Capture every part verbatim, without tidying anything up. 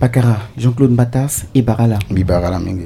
Pakara Jean-Claude Mbatas, e bara ala. Mbi bara ala mingi.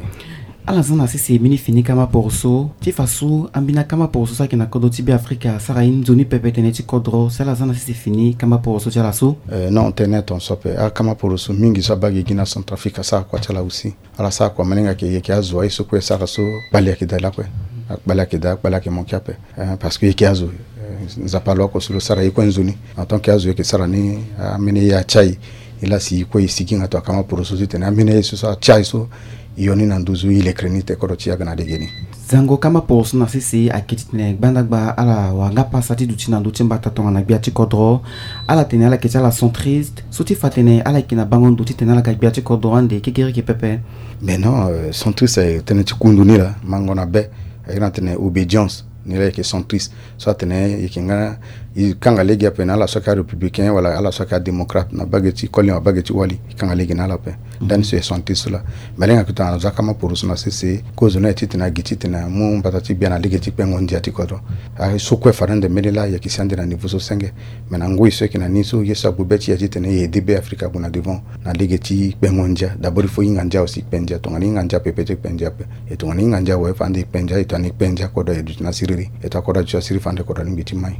Ala za na sese mbeni fini kama poroso ti fa so ambeni akama poroso so ayeke na kodro ti Beafrika asara ye nzoni pepe tënë ti kodro, si ala za na sese fini kama poroso ti ala so. Eh, non, tënë ton so ape. Akama poroso mingi so abaa gigi na Centrafrique asara kua ti ala aussi. Ala sara kua, malingbi ayeke, yeke azo aye so kue asara so kpale ayeke daa lakue. Akpale ayeke daa, akpale ayeke manke ape. Eh, parce que yeke azo, eh, Nzapa aloa oko so lo sara ye kue nzoni. En tant que azo, yeke sara ni, ah, ambeni ye atia e. E la si e kue e sigi nga tongana kama poroso titene ambeni ye so, so atia e so, e yo ni na nduzu, e lekere ni te kodro ti e aga na legeni. Zango kama poroso na sese ayeke titene gbandagba ala wara nga pasa ti duti na ndö ti mbata tongana gbia ti kodro. Ala tene ala yeke ti ala centriste, so ti fa atene ala yeke na bango ndo titene ala ga gbia ti kodro ande kekereke pepe. Mais non, euh, centriste aye tënë ti kundu ni laa, mango na be, aye na tene obédience. Ni laa e yeke centriste. So atene e yeke nga, e kanga lege ape na ala so ayeke arépublicain wala ala so ayeke adémocrate, na bage ti koli wala bage ti wali, e kanga lege na ala ape. Mhm. Ndani so e centriste so laa. Me ala hinga yeke tongana azo akama poroso na sese, kozo ni aye titene agi titene amu mbata ti gbia na lege ti kpengo ndia ti kodro. Aye so kue fade ande mbeni laa, e yeke si ande na niveau so senge. Me na ngoi so e yeke na ni so, ye so agbu be ti e aye titene e aidé Beafrika ague na devant na lege ti kpengo ndia. D'abord il faut e hinga ndia aussi, e kpe ndia. Tongana e hinga ndia ape, e peut ti kpe ndia ape. E tongana e hinga ndia awe, fade e kpe ndia. E tongana e kpe ndia, kodro aye duti na siriri. E tongana kodro aduti na siriri, fade kodro alingbi ti mai.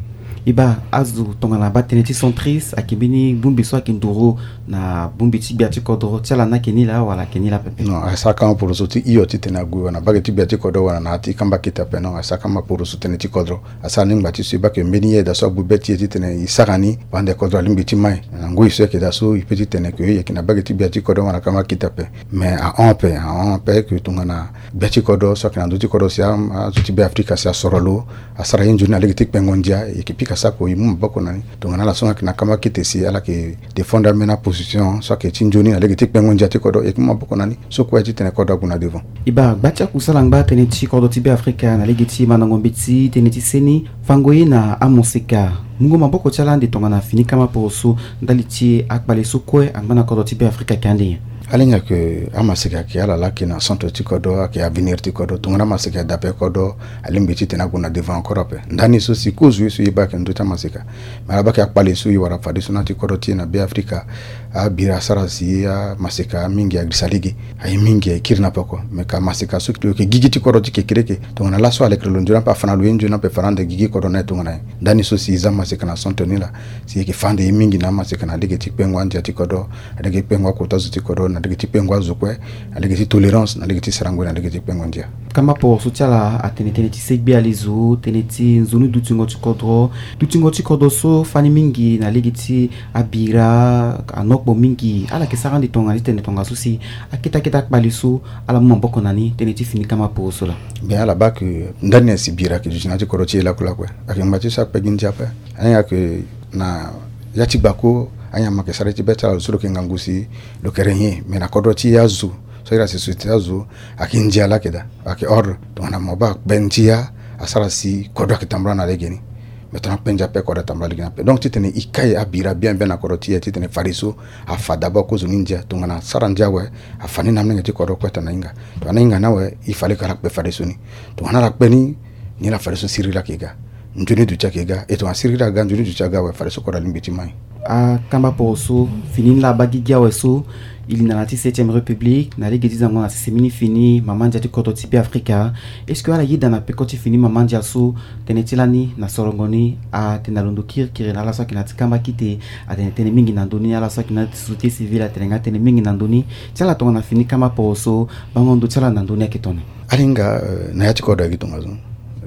E baa, azo tongana abaa tënë ti centriste, ayeke mbeni bongbi so ayeke nduru na bongbi ti gbia ti kodro ti ala ni ayeke ni laa wala ayeke ni laa pepe? Non, asara kama poroso ti hio titene ague wala na bage ti gbia ti kodro wala na ya ti kamba kete ape. Non, asara kama poroso tënë ti kodro. Asara ni ngba ti so e baa ke mbeni yeda so agbu be ti e titene e sara ni, fade kodro alingbi ti mai. Na ngoi so e yeke daa so, e peut ti tene ke e yeke na bage ti gbia ti kodro wala na kamba kete ape. Mais ahon ape, ahon ape ke tongana gbia ti kodro so ayeke na ndö ti kodro si a, azo ti Beafrika si asoro lo, asara ye nzoni na lege ti kpengo ndia, e yeke pika sako e mu maboko na ni. Tongana ala so nga ayeke na kamba kete si ala yeke défendre ambeni aposition so ayeke ti nzoni na lege ti kpengo ndia ti kodro, e yeke mu maboko na ni. So kue titene kodro ague na devant. E baa, gba ti akusala angba tënë ti kodro ti Beafrika na lege ti mandango mbeti, tënë ti seni, fango ye na amaseka. Mungo maboko ti ala ande tongana fini kama poroso ndali ti akpale so kue angba na kodro ti Beafrika ayeke ande nyen? Ala hinga ke amaseka ayeke ala laa ayeke na centre ti kodro, ayeke avenir ti kodro. Tongana amaseka daa ape, kodro alingbi titene ague na devant encore ape. Ndani so si kozo ye so e baa ayeke na ndö ti amaseka. Me ala baa ke akpale so e wara fadeso na ya ti kodro ti e na Beafrika. Abira asara si amaseka mingi agirisa lege. Aye mingi aye kiri na peko. Me ka maseka so lo yeke gigi ti kodro ti kekereke. Tongana laso alekere lo nzoni ape, afa na lo ye nzoni ape, afa na ande gigi kodro na aye tongana nyen? Ndani so si e za maseka na centre ni laa, si e yeke fa ande ye mingi na amaseka na lege ti kpengo andia ti kodro, na lege ti kpengo akota zo ti kodro, na lege ti kpengo azo kue, na lege ti tolérance, na lege ti sarango, na lege ti kpengo ndia. Kamba poroso ti ala atene tënë ti segbe alezo, tënë ti nzoni dutingo ti kodro. Dutingo ti kodro so fani mingi na lege ti abira, anokpo mingi. Ala yeke sara ande tongana ti tene tongaso si akete akete akpale so ala mu maboko na ni tënë ti fini kamba poroso laa. Bien, ala baa ke ndani nyen si bira ayeke duti na ya ti kodro ti e lakue lakue. Ayeke ngba ti so akpe gi ndia ape. Ahinga ke na ya ti gbako, anyama ayeke sara ye ti be ti ala, lo so lo yeke ngangu si lo yeke régner. Me na kodro ti e azo, so iri asi société azo, ayeke ndia laa ayeke daa, ayeke ordre. Tongana mo baa akpe ndia, asara si kodro ayeke tambula na legeni. Me tongana akpe ndia ape, kodro atambula legeni ape. Donc titene e kai abira bien bien na kodro ti e, titene fadeso afa d'abord kozoni ndia. Tongana asara ndia awe, afa ni na amolenge ti kodro kue tongana ahinga. Tongana ahinga ni awe, il fallait ke ala kpe fadeso ni. Tongana ala kpe ni, ni laa fadeso siriri ayeke ga. Nzoni duti ayeke ga. E tongana siriri aga, nzoni duti aga awe, fadeso kodro alingbi ti mai. Akamba poroso, fini ni laa abaa gigi awe so, e linda na ya ti septième république, na lege ti zango na sese mbeni fini mama ndia ti kodro ti Beafrika. Est-ce que ala yeda na peko ti fini mama ndia so, tënë ti lani na sorongo ni, atene alondo kirikiri na ala so ayeke na ya ti kamba kite, atene tënë mingi na ndö ni, ala so ayeke na ya ti société civile atene nga tënë mingi na ndö ni, ti ala tongana fini kamba poroso, bango ndo ti ala na ndö ni ayeke tongana nyen? Ala hinga, euh, na ya ti kodro ayeke tongaso.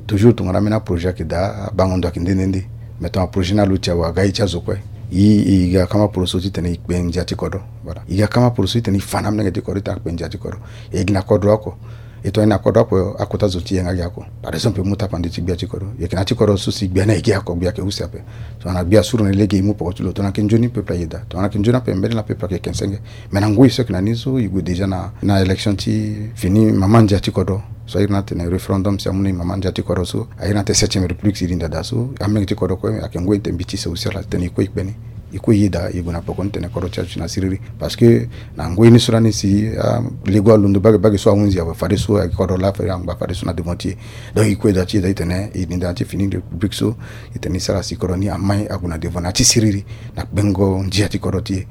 Toujours tongana ambeni aprojet ayeke daa, abango ndo ayeke nde nde nde. Mais tongana projet ni aluti awe, aga ye ti azo kue. E, e ga kama poroso titene e kpe ndia ti kodro. Voilà. E ga kama poroso titene e fa na amolenge ti kodro titene akpe ndia ti kodro. E gi na kodro oko. E tongana e na kodro oko, akota zo ti e nga agi oko. Par exemple, e mu tapande ti gbia ti kodro. E yeke na ya ti kodro so si gbia ni ayeke oko, gbia ayeke use ape. Tongana gbia asuru na e lege, e mu poko ti lo. Tongana ayeke nzoni, peuple ayeda. Tongana ayeke nzoni ape, mbeni laa peuple ayeke ken senge. Mais na ngoi so ayeke na ni so, e gue déjà na, na élection ti fini mama ndia ti kodro. So a iri ni atene référendum, si amu ni mama ndia ti kodro so, a iri ni atene septième république si e linda daa so, amolenge ti kodro kue ayeke ngoi ti tene mbi ti se aussi ala tene e kue e kpe ni. E kue e yeda, e gue na poko ni tene kodro ti e aduti na siriri. Parce que na ngoi ni so lani si, ah, lego alondo bage bage so ahunzi awe, fadeso ayeke kodro laa, fade angba fadeso na devant ti e. Donc e kue daa ti yeda ti tene e linda na ya ti fini république so, e tene e sara si kodro ni amai ague na devant na ya ti siriri, na kpengo ndia ti kodro ti e.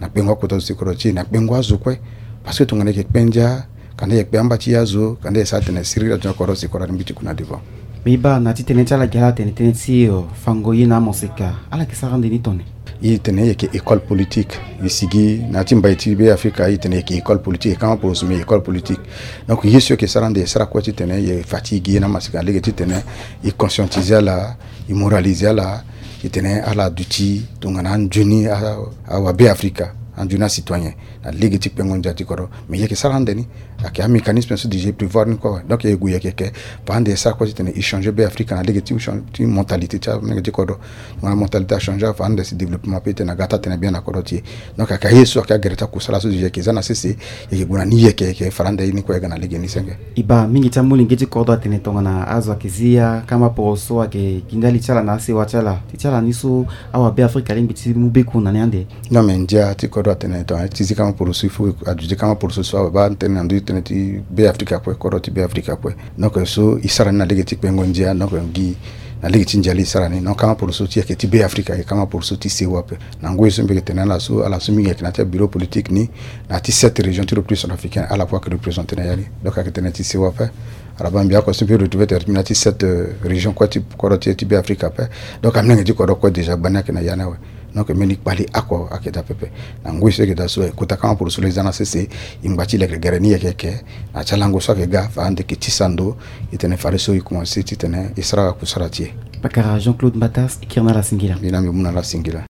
Na kpengo akota zo ti kodro ti e, na kpengo azo kue. Parce que tongana e yeke kpe ndia, kanda e yeke kpe amba ti e azo, kanda e sara tene siriri azo ni kodro si kodro ni mbi ti ku na devant. Mbi baa na ti tënë ti ala gi ala tene tënë ti, euh, fango ye na amoseka, ala yeke sara ande ni tone. E tene e yeke école politique, e sigi na ya ti mbai ti Be Afrika, e tene e yeke école politique, e kama poroso mbi école politique. Donc ye so e yeke sara ande e sara kue ti tene e fa ti e gi ye na amoseka na lege ti tene e conscientiser ala, e moraliser ala, e tene ala duti tongana anzoni a, awa Be Afrika, anzoni acitoyen na lege ti kpengo ndia ti kodro. Mais e yeke sara ande ni, ayeke amécanisme so déjà e prévoir ni kue awe. Donc e gue e yeke, yeke fa ande e sara kue ti tene e changer Be Afrika na lege ti, ti mentalité ti amolenge ti kodro. Tongana mentalité achanger afa ande si développement ape ti tene aga ti atene bien na kodro ti e. Donc ayeke aye so ayeke agere ti akusala so déjà e yeke za na sese, e yeke gue na ni, e yeke, e yeke fara ande ye ni kue e ga na lege ni senge. E baa mingi ti amolenge ti kodro atene tongana azo ayeke zi akama poroso ayeke gi ndali ti ala na asewa ti ala, ti ti ala ni so awa Be Afrika alingbi ti mu beku na ni ande. Non, mais ndia ti kodro atene tongana ti zi kama poroso, il faut aduti kama poroso so awe baa tënë na ndö ti tënë ti Be Afrika kue, kodro ti Be Afrika kue. Donc so e sara ni na lege ti kpengo ndia, donc gi na lege ti ndia laa e sara ni. Donc kama poroso ti e ayeke ti Be Afrika, ayeke kama poroso ti sewa ape. Na ngoi so mbi yeke tene ala so, ala so mingi ayeke na ya ti abureau politique ni, na ya ti sept région ti le plus centrafricain, ala kue ayeke représenter na ya ni. Donc ayeke tënë ti sewa ape. Ala baa mbi oko so mbi retrouver tere ti mbi na ya ti sept, euh, région kue ti kodro ti e ti Be Afrika ape. Donc amolenge ti kodro kue déjà gbani ayeke na ya ni awe. Donc mbeni kpali oko ayeke daa pepe. Na ngoi so e yeke daa so, e kota kama poroso lo e za na sese, e ngba ti leke gere ni e yeke, yeke na ya ti alango so ayeke ga, fa ande e yeke tisa ndo, e tene fadeso e commencer ti tene e sara akusara ti e. Pakara Jean-Claude Mbatas, e kiri na ala singila. Mbi na mbi mu na ala singila.